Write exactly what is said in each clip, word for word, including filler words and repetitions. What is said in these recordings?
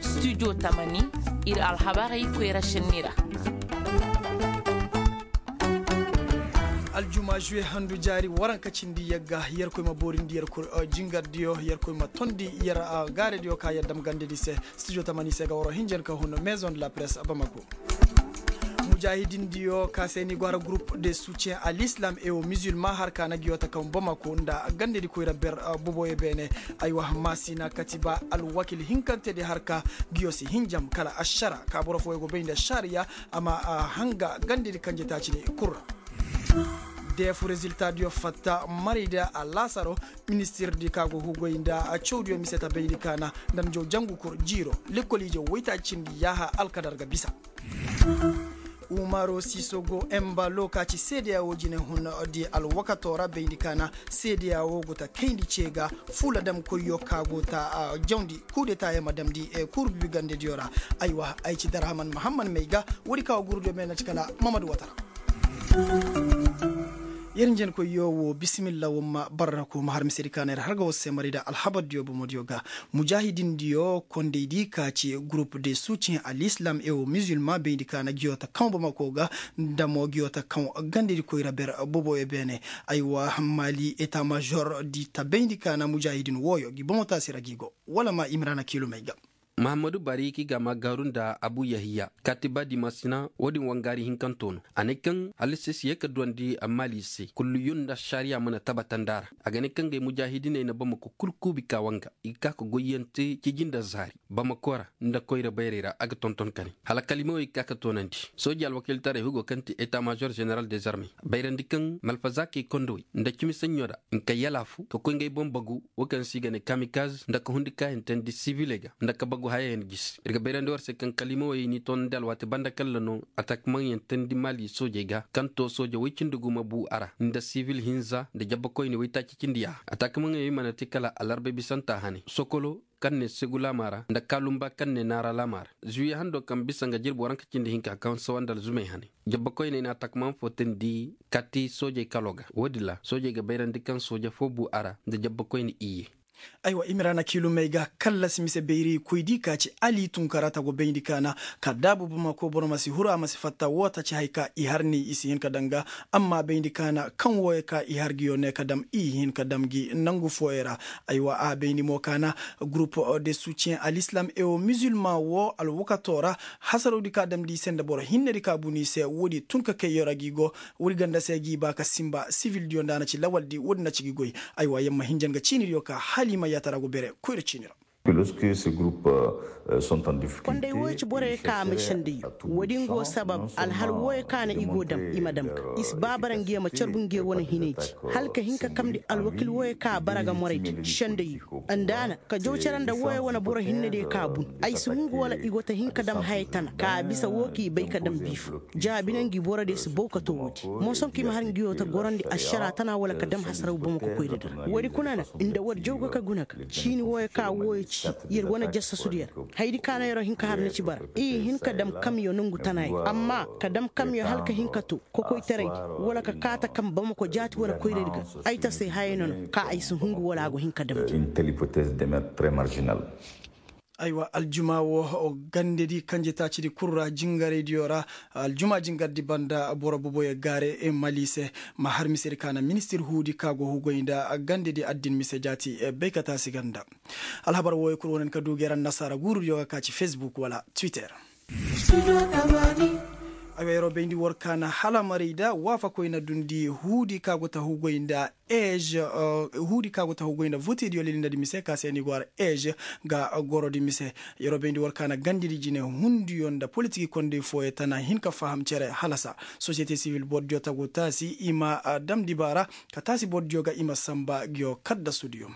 Studio tamani, ir alhabarey koyra šenni ra. Aljuma žuwe handu jaari waranka cindi yagga, yerkoy ma boorindi yerkoy jingardiyo, yerkoy ma tondi yer gaarediyo ka yer dam gandedi se. Studio tamani se ga waro hinjan ka hun maison de la presse bamako. Mujahidindiyo ka se ni go har groupe de soutien à l'islam et au musulman har ka na giyo ta kaŋ bamako nda gandedi koyra ber boboyo beene. Aywa, maasina katiba alwakil hinkantedi har ka giyo si hinjam kala ašara ka boro fooyo go bay nda šariya a ma hanga gandedi kanje taaci ni kul ra. Deefu reziltaadiyo fatta marayda alaasaro. Ministirdi ka go hugoy nda cawdiyo mise ta bayndi kaana nda njaw jangu kul jiiro lekkoliije woytaaci cindi yaaha alkadar ga bisa. Umaro sisogo embalo ka ci seedeya wo jine hun di alwakato ra bayndi kaana seedeya wo go ta kayndi ce ga fuula damkoyyo ka go ta jawndi kuudetaayo ma damndi. Kuuru bibigandediyo ra. Aywa, ay ci darhaman mahamman may ga woodi ka wo gurudiyo me na ci kala mamadu watara. Yer njenkoyyo wo bisimilla wamma barrako ma har misedi kaana yer har ga war se marayda alhabardiyo bomodiyo ga. Mujahidindiyo kondaydi ka ci groupe de soutien à l'islam et au musulman bayndi kaana giyo ta kaŋ bomako ga nda mo giyo ta kaŋ gandedi koyra ber boboyo beene. Aywa, mali eta major di ta bayndi kaana mujahidin wooyo gi bomo taasi ra gi go wala ma imrana kiilumey ga. Mahammadu bari ki ga ma gaaru nda abu yahiya katiba di masina woodin wangaari hinkanto no a ne kaŋ halasi si ye ka duwandi maali se kullu yun nda ašariya mana tabatandi a ra. A ga ne kaŋ gay mujahidiney na bamako kul kuubi ka wanga i ga ka ka goyyaŋ te ciji nda zaari bamako ra nda koyra bayrey ra a ga tonton ka ne hala kalimawey ga ka ka toonandi. Sooji alwakiltaray hugo kaŋ ti eta major ženeral dezarme bayrandi kaŋ malfazaakey kondowey nda cimi saɲɲo ra nka yalaafu ka koy ngey boŋ bagu wo kaŋ se i ga ne kamikaz nda ka hundi kaayantandi siviley ga nda ka bagu hayayaŋ gisi. Ir ga bayrandi war se kaŋ kalimawey n'i toonandi alwaati banda kalla no atakmaŋyaŋ teendi maali soojey ga kaŋ to sooje woy cindi gumo buu a ra nda sivil hinza nda jabbakoyni woytaaci cindi yaaha atakmaŋyaŋ i mana te kala alarbay bisanta hane sokolo kaŋ ne segu laama ra nda kaalumba kaŋ ne naara laama ra. Zuwiye hando kaŋ bisa nga jirbi waranka cindi hinka kaŋ sawandi alzumey hane jabbakoyney na takmaŋ fo teendi kati soojey kalo ga woodin ra soojey ga bayrandi kaŋ sooje fo buu a ra nda jabbakoyni iyye. Aywa i ma ra na kiilumey ga kallasi mise bayray koydi ka ci ali tunkara ta go bayndi kaana ka daabu bamako boro ma si huru a ma si fatta woo ta ci haya ka i har ni i si hin ka daŋ ga. Amma bayndi kaana kaŋ wooyo ka i har gi yo ne ka dam i hin ka dam gi nangu fooyo ra. Aywa a bayndi mo kaana gurup de soutien à l'islam et au musulman woo alwakato ra. Hasarowdi ka damndi i se nda boro hinnedi ka bunu i se woodi tun ka kay yo ra gi go. Woodi ganda se gi ba ka sinba sivildiyo nda a na ci lawaldi woodi na ci gi goy. Aywa yamma hinja nga ciinidiyo ka hala i ma yaatara go bere koyra ciini ra. Konday wooyo ci borey ka a ma senday woodin go sabab alhal wooyo ka na i go dam i ma dam ga i si ba bara ngiyo ma carbu ngiyo wane hinay ci hala ka hin ka kamndi alwakil wooyo ka bara ga moraydi senday. Nda a na ka jaw cere nda wooyo wane boro hinnediyo ka bun ay si hungu wala i go ta hin ka dam haya tana ka a bisa woo k'i bay ka dam biifo. Jaabi na ngi borodiyo si baw ka too woodi. Mosoŋ ka i ma har ngiyo ta gorandi ašara tana wala ka dam hasaraw bamako koyra dira woodi kuna na nda woodi jaw ga ka guna ga ciini wooyo ka wooyo ci yer wane jasasudiyo ra. Hayadi ka na yeroo hin ka har na ci bara i hin ka dam kamyo nongu tanayo amma ka dam kamyo hala ka hin ka too kokoytaraydi wala ka kaata kam bamako jaati wala koyradi ga. Ay ta se hayay no no ka ay si hungu wala a go hin ka damndi. Aywa aljuma wo gandedi kanje taacidi kul ra jingaraydiyo ra. Aljuma jingardi banda boro boboyo gaare mali se ma har misedi ka na ministir huudi ka go hugoy nda gandedi addin mise jaati bay ka taasi ganda. Alhabar wooyo kul wo na ni ka du geera nasaara guurudiyo ga ka ci facebook wala twitter. Ay wa yeroo bayndi war ka na hala marayda waafakoy na dundi huudi ka go ta hugoy nda ej huudi ka go ta hugoy nda votediyo lilindadi mise ka se ni go har ej ga gorodi mise. Yeroo bayndi war ka na gandidi jine hundiyo nda politiki kondey fooyo tana hin ka faham cere halasa sosiyete sivil bordiyo ta go taasi i ma dam dibaara ka taasi bordiyo ga i ma sanba ngiyo kaddasudiyo.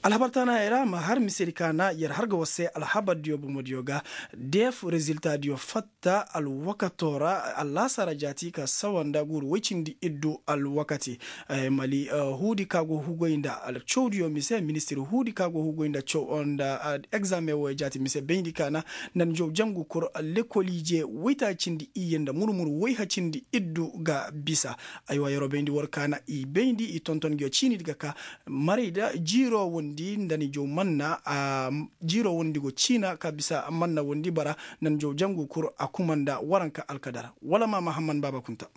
Alhabar taanaayey ra ma har misedi ka na yer har ga war se alhabardiyo bomodiyo ga. Deef reziltadiyo fatta alwakato ra allaasara jaati ka sawa nda guuru woy cindi iddu alwakati. Mali huudi ka go hugoy nda cawdiyo mise ministir huudi ka go hugoy nda caw nda egzaameŋ wooyo jaati mise bayndi ka na nda njaw jangu kul lekoliije woytaaci cindi iyye nda murmur woyha cindi iddu ga bisa. Aywa yeroo bayndi war ka na i bayndi i tonton ngiyo ciinidi ga ka marayda jiiroo wondi. Di nda ni jaw manna a jiiro wondi go ciina ka bisa manna wondi bara nda ni jaw jangu kur a kuma nda waranka alkadar wala ma mahamman baaba kunta.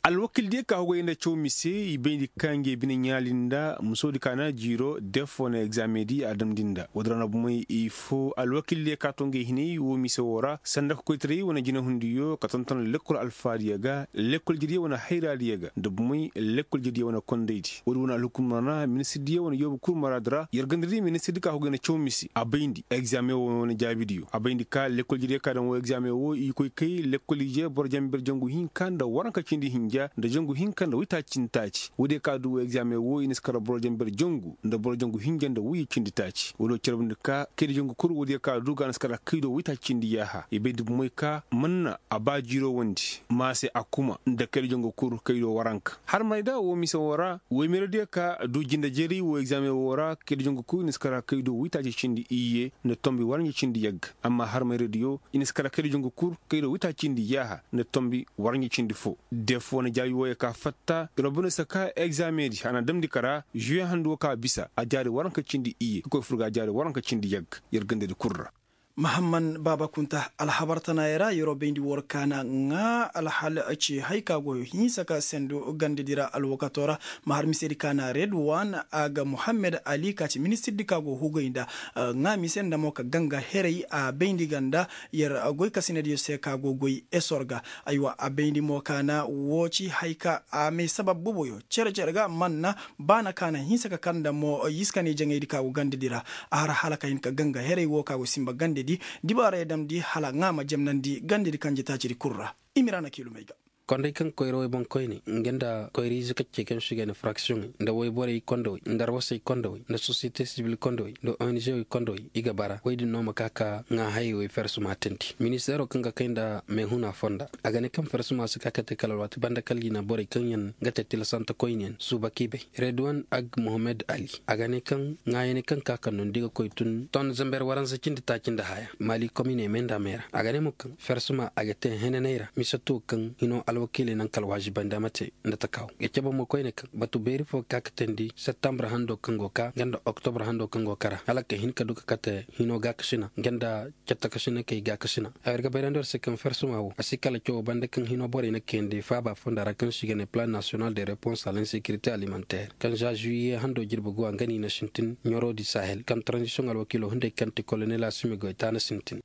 Alwakildiyo ka hogay nda caw mise i bayndi ka ngey bine ɲaali nda musoodi ka na jiiro def wane egzaameŋ di a damndi nda woodi ra na bumey i fo alwakildiyo ka to ngey hinay woo mise woo ra sanda ka koytaray wane jinahundiyo ka tonton lekkol alfaadiyo ga lekkol jediyo wane hayraadiyo ga nda bumey lekkol jediyo wane kondaydi woodi wane alhukumar na ministirdiyo wane yoobu kul maraadi ra yer ganda di ministirdi ka hogay nda caw mise a bayndi egzaameŋ woo wane jaabidiyo a bayndi ka lekkol jediyo ka daŋ woo egzaameŋ woo i koy kay lekkol ije boro janber jangu hinka nda waranka cindi hinja nda jangu hinka nda waytaaci cindi taaci woodiyo ka du woo egzaameŋ woo i na si kara boro janber jangu nda boro jangu hinja nda wayye cindi taaci woodiyo carbundi ka kaydi jangu kul woodiyo ka du ga a na si kara kaydo waytaaci cindi yaaha i bay dubumey ka manna a ba jiiro wondi maase a kuma nda kaydi jangu kul kaydo waranka harmarayda woo mise woo ra woymeradiyo ka du jinde jeeri woo egzaameŋ woo ra kaydi jangu kul i na si kara kaydo waytaaci cindi iyye nda tombi waranja cindi yagga amma harmayradiyo i na si kara kaydi jangu kul kaydo waytaaci cindi yaaha nda tombi waranja cindi fo def wane jaabi wooyo ka fatta ir ma bine saka egzaameŋ di a na damndi kara žuwe handu woo ka bisa a jaari waranka cindi iyye ka koy fur ga a jaari waranka cindi yagga yer gandadi kul ra. Mahamman baaba kunta alhabar tanaayey ra yeroo bayndi war kaana ŋaa alhal ci hay ka go hinsa ka sendu gandadi ra alwakato ra ma har misedi kaana red wan a ga muhammed ali ka ci ministirdi ka go hugay nda ŋaa mise nda mo ka ganga heray a bayndi ga nda yer goy kasinadiyo se ka go goy esor ga. Aywa a bayndi mo kaana woo ci hay ka a may sabab boboyo cere cere ga manna baana ka na hinsa ka kar nda mo yiskani jaŋaydi ka go gandadi ra a har hala ka hin ka ganga heray woo ka go sinba gandadi dibaarey damndi hala ŋaa ma jemnandi gandadi kaŋ jetaacidi kul ra. I ma ira na kiilumey ga. Konday kaŋ koyra woy boŋkoyney nga nda koyra ize kaccey kaŋ se i ga ne fraksiyoŋey nda woyborey kondawey nda arwasey kondawey nda sosiyete sibil kondawey nda ong wey kondawey i ga bara woy din no ma ka ka ŋaa hayey woy fersuma teendi ministeero kaŋ ga kay nda meehuna fonda a ga ne kaŋ fersuma si ka ka te kala alwaati banda kala i na borey kaŋ yaŋ ga te tilasante koyne yaŋ suuba k'i bay. Redwan ag mohammed ali a ga ne kaŋ ŋaayaney kaŋ ka ka nondi ga koy tun ton zember waransa cindi taaci nda haya maali komine me nda me ra a ga ne mo kaŋ fersuma a ga te henaney ra mise to kaŋ hino alwakiiley naŋ ka alwaazibandi a ma te nda takaaw ga cabe mo koyne kaŋ batu beeri fo ga ka ka teendi septambur hando kaŋ go ka nga nda oktobur hando kaŋ go kara hala ka hin ka du ka kate hino gaakasina nga nda cattakasinakey gaakasina. Ay war ga bayrandi war se kaŋ fersuma wo a si kala cawo banda kaŋ hino borey na kayandi faaba fonda ra kaŋ se i ga ne plan nasiyonal de repons a l'insekirite alimanter kaŋ za žuwiye hando jirbi go a nga no i na sintin ɲoroodi sahel kaŋ taranzisiyoŋ alwakiilo hunday kaŋ ti kolonel asimi goy taana sintin.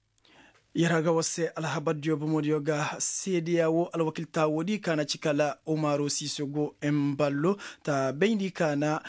Yer ga war se alhabardiyo bomodiyo ga seedeya wo alwakilta woodi ka na ci kala umaru sisogo emballo ta bayndi ka na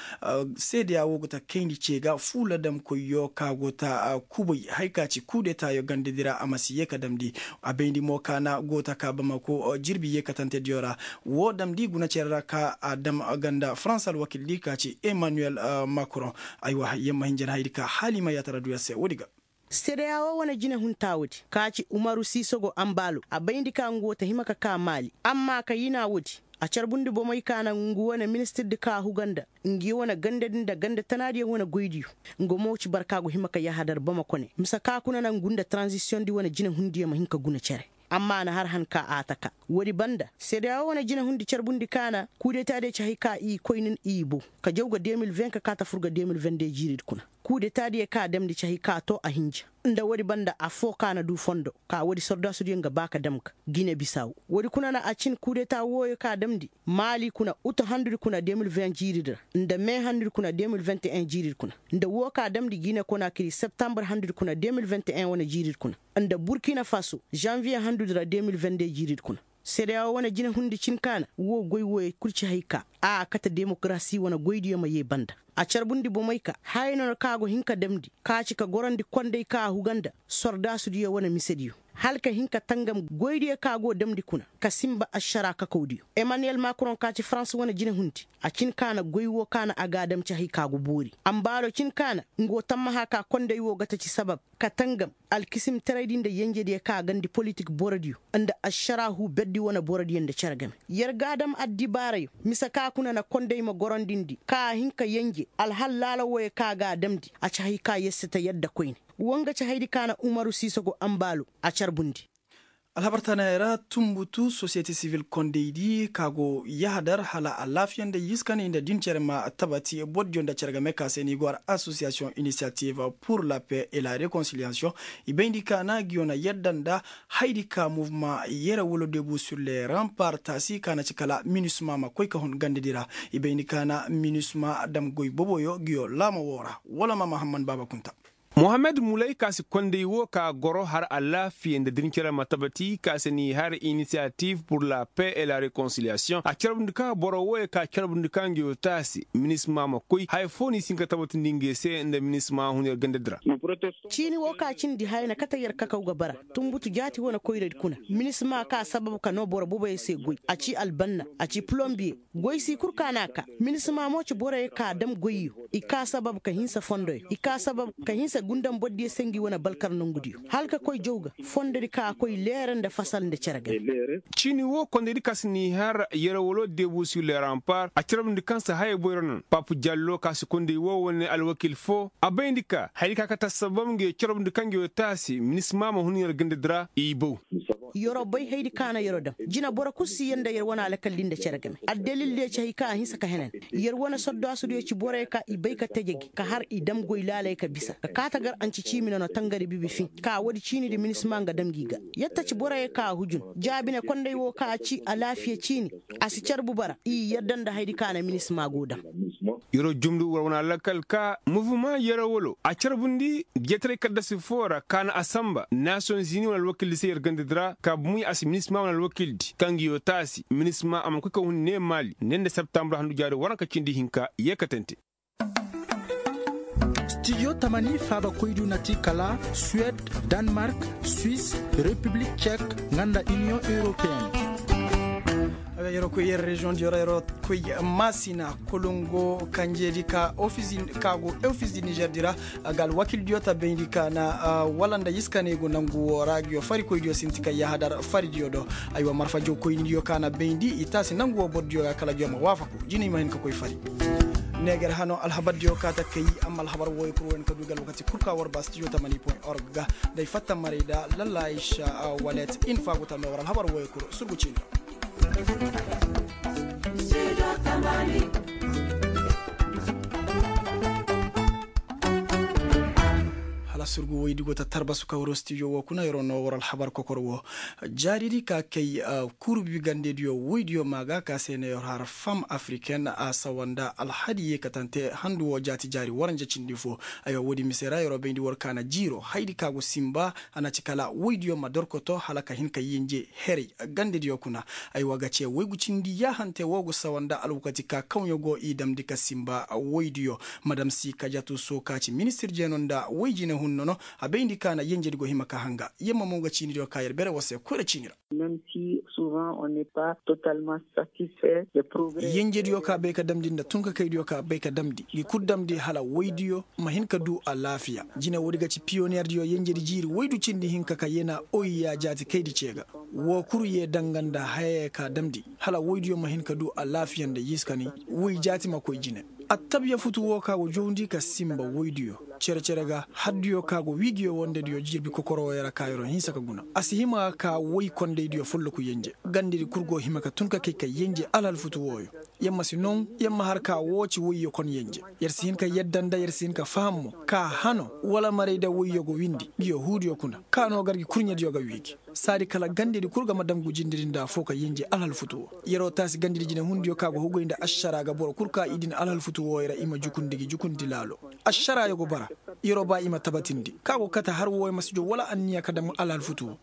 seedeya wo go ta kayndi ce ga fuula damkoyyo ka go ta kubay hay ka ci kudetaayo gandadi ra a ma si ye ka damndi. A bayndi mo ka na go ta ka bamako jirbi ye katantediyo ra wo damndi guna cere ra ka a dam ganda farans alwakildi ka ci emmanuel macron. Aywa yer ma hin jan hayadi ka hala i ma yaatara du yer se woodi ga. Seedeya wo wane jinehunta woodi ka ci umaru sisogo ambaalo a bayndi ka ngu wo ta hima ka ka maali amma ka yina woodi a carbundi bomey ka na ngu wane ministirdi ka huga nda ngi wane gandadi nda ganda tanaadiyaŋ wane goydiyo. Nga mo ci barka go hima ka yahadar bamako ne mise ka kuna na ngu nda taranzisiyoŋdi wane jinehundiyo ma hin ka guna cere. Amma a na har han ka a taka woodi banda seedeya wo wane jinehundi carbundi ka na kudetadiyo ci hay ka i koy nin i bow ka jaw ga de mil veŋ ka ka ta fur ga de mil veŋ de jiiridi kuna. Kudetadiyo ka damndi ci hay ka to a hinja nda woodi banda affoo ka na du fondo ka woodi sordaasudiyo nga ba ka dam ga gine bisaw. Woodi kuna na a cin kudeta wooyo ka damndi maali kuna utu handudi kuna de mil veŋ jiiridi ra nda me handudi kuna de mil veŋ te en jiiridi kuna nda woo ka damndi gine konakiri septambur handudi kuna de mil veŋ te en wane jiiridi kuna nda burkina faso zanviye handudi ra de mil veŋ de jiiridi kuna. Seedeya woo wane jinehundi cin ka na woo goy wooyo kul ci hay ka a kate demokarasi wane goydiyo ma yee banda. A carbundi bomey ka haya no na ka go hin ka damndi ka ci ka gorandi konday ka a huga nda sordaasudiyo wane misediyo hala ka hin ka tangam goydiyo ka go damndi kuna ka sinba ašara kakawdiyo. Emmanuel macron ka ci farans wane jinehundi a cin ka na goy woo ka na a ga a dam ci hay ka go boori ambaalo cin ka na nga woo tammaha ka konday woo ga ta ci sabab ka tangam alkisimtaraydi nda yenjediyo ka a gandi politik borodiyo nda ašara huu berdi wane borodiyo nda cere game. Yer ga a dam addibaarayo mise ka kuna na konday ma gorondindi ka a hin ka yenje alhal laala wooyo ka a ga a damndi a ci hay ka yer si ta yadda koyne. Woo nga ci haydi ka na umaru siisogo ambaalo a carbundi. Alhabar tanayaŋ ra, tunbutu sosiyete sivil kondaydi ka go yahadar hala alaafiya nda yiskani nda din cere ma tabati bordiyo nda cere game ka se ni go har asosiyasiyoŋ inisiyativ pur la pe e la rekonsiliyaasiyoŋ. I bayndi ka na ngi yo na yadda nda haydi ka muvuma yere wala debu sur le rampar taasi ka na ci kala minisma ma koy ka hun gandadi ra. I bayndi ka na minisma dam goy boboyo ngi yo laama woo ra wala ma mahamman baaba kunta. Mohammed mulay ka si konday woo ka goro har alaafiya nda din cere ma tabati ka se ni har inisiyativ pur la pe e la rekonsiliyaasiyoŋ a carbundi ka boro wooyo ka carbundi ka ngi yo taasi minisma ma koy haya foo ni si hin ka tabatindi ngi se nda minisma hun yer gandadi ra. Ciini woo ka cindi haya na kate yer kakaw ga bara. Tunbutu jaati wane koyradi kuna minisma ka sabab ka noo boro boboyo se goy a ci albanna, a ci polombiye. Goy si kul ka n'a kaa. Minisma mo ci boroyo ka dam goyyo. I kaa sabab ka hinsa fondoyo i kaa sabab ka hinsa gundam bordiyo se ngi wane balkar nongudiyo hala ka koy jaw ga. Fondodi ka a koy leere nda fasal nda cere game. Ciini woo kondaydi ka si n'i har yerowolo debu sur le rampar a carabndi kaŋ si haya boyro naŋ pap jallo ka si konday woo wane alwakil foo a bayndi ka hayadi ka kate assabab ngi yo carabndi kaŋ ngi yo taasi minisma ma hun yer gandadi ra i bow. Yer'o bay hayadi ka na yer'o dam. Jine boro kul si yee nda yer wane alakal di nda cere game addalil diyo ci hay ka a hinsa ka henan. Yer wane soddaasudiyo ci boroyo ka i bay ka teje gi ka har i dam goy laalay ka bisa ka kaate gar anci ciimi nono tangari bibi fin ka woodi ciinidi minisma nga dam gi ga. Yetta ci boroyo ka a hujun jaabine konday woo ka a ci alaafiya ciini. A si carbu bara i yadda nda hayadi ka na minisma go dam. Yer'o jumdu war wane alakal ka muvuma yerowolo a carbundi jeetaray kaddasi foo ra ka na a sanba nasiyoŋ zini wane alwakildi se yer gandadi ra ka bumuy a si minisma wane alwakildi kaŋ ngi yoo taasi minisma a mana koy ka hun ne maali ne nda septambur handu jaari waranka cindi hinka yeekatante. Stijo tamani faabakoydiyo na ti kala suwed, danmark, swis, repiblik cek, nga nda iniyoŋ europeen. Yer'o koy yer reziyoŋdiyo ra yer'o koy maasina kolongo kanjeedi ka go ofis di nizer di ra. Ga alwakildiyo ta bayndi ka na wala nda iskaney go nangu woo ra ngi yoo farikoydiyo sinti ka yahadar faridiyo do. Aywa marfa jawkoynidiyo ka na bayndi i taasi nangu woo bordiyo ga kala ngi yoo ma waafaku jina i ma hin ka koy fari. Neeger hano alhabardiyo kaata kay. Amma alhabar wooyo kul woo hin ka du ga alwakati kul ka war ba stijo tamani point org ga. Day fatta maray da lalla aysa walet in faagu tanda war alhabar wooyo kul surgu ciini. Hala surgu woydi go ta tarbasu ka waro stijo woo kuna yer'o noo war alhabar kokor woo. Jaaridi ka kay kurbi gandediyo woydiyo maa ga ka se na yer har fam afriken a sawa nda alhadi yeekatante handu woo jaati jaari waranja cindi foo. Aywa woodi mise ra yer'o bayndi war ka na jiiro haydi ka go sinba a na ci kala woydiyo ma dorkoto hala ka hin ka yenje heray gandediyo kuna. Aywa ga cee woygu cindi yaahante woo go sawa nda alwakati ka kawɲo go i damndi ka sinba woydiyo. Madam si kajatu soo ka ci ministir jeeno nda woy jine hunno no. A bayndi ka na yenjedi go hima ka hanga yamma mo ga ciinidiyo ka yer bere woo se koyra ciini ra. Yenjediyo ka bay ka damndi nda tunkakaydiyo ka bay ka damndi ngi kul damndi hala woydiyo ma hin ka duu alaafiya. Jine woodi ga ci piyoniyeerdiyo yenjedi jiiri woydu cindi hinka ka yena oyiya jaati kaydi cee ga. Woo kul yee danga nda hayaya ka damndi hala woydiyo ma hin ka duu alaafiya nda yiskani woy jaati ma koy jine. Attabiya futu woo ka go jawndi ka sinba woydiyo cere-cere ga haddiyo ka go wii ngi yoo wondediyo jirbi kokoro wooyo ra ka yer'o hinsa ka guna a si hima ga ka woy kondaydiyo folloku yenje. Gandedi kul go hima ka tun ka kay ka yenje alhal futu wooyo. Yer ma si noŋ yer ma har ka woo ci woyyo kon yenje. Yer si hin ka yadda nda yer si hin ka faham mo ka hano wala maray nda woyyo go windi ngi yoo huudiyo kuna ka noo gar ngi kurɲediyo ga wii ngi. Saadi kala gandedi kul ga ma dam ngu jindedi nda afoo ka yenje alhal futu woo. Yer'o taasi gandedi jinehundiyo ka go hugay nda ašaraa ga boro kul ka i din alhal futu wooyo ra i ma jukundi ngi jukundi laalo. Ašaraayo go bara. Yer'o baa i ma tabatindi ka go kate har wooyo ma si joo wala anniya ka dam alhal futu woo.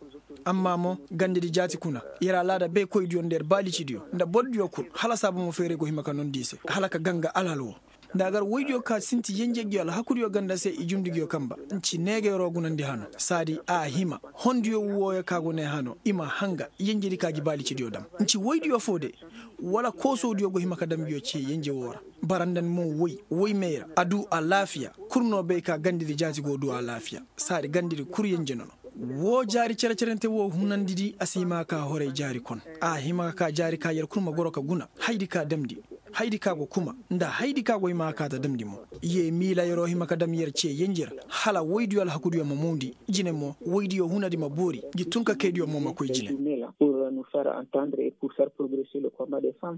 Amma mo gandedi jaati kuna yer alaada baykoydiyo nda yer baalicidiyo nda bordiyo kul hala saaba mo feeray go hima ka nondi i se hala ka ganga alhal woo. Nda a gar woydiyo ka sinti yenje ngi yoo alhakudiyo ganda se i jundi ngi yoo kamba. Nci neegeeroo gunandi hano saadi a hima hondiyo wooyo ka go ne hano i ma hanga yenjedi ka gi baalicidiyo dam. Nci woydiyo foo de wala koosowdiyo go hima ka dam ngi yoo cee yenje woo ra. Bara nda ni mo woy woy meera a duu alaafiya. Kul no bay ka gandedi jaati go duu alaafiya. Saadi gandedi kul yenje nono. Woo jaari cere-cerente woo hunandidi a si hima ka horay jaari kon. A hima ka ka jaari ka yer kul ma goro ka guna haydi ka damndi. Haydi ka go kuma nda haydi ka go i ma a kaata damndi mo. Ye miila yer'o hima ka dam yer ce yenjer hala woydiyo alhakudiyo ma mawndi. Jine mo woydiyo hunadi ma boori. Ngi tun ka kaydiyo mo ma koy jine. Pur nu far antandre e pur far progrese le komba de fam.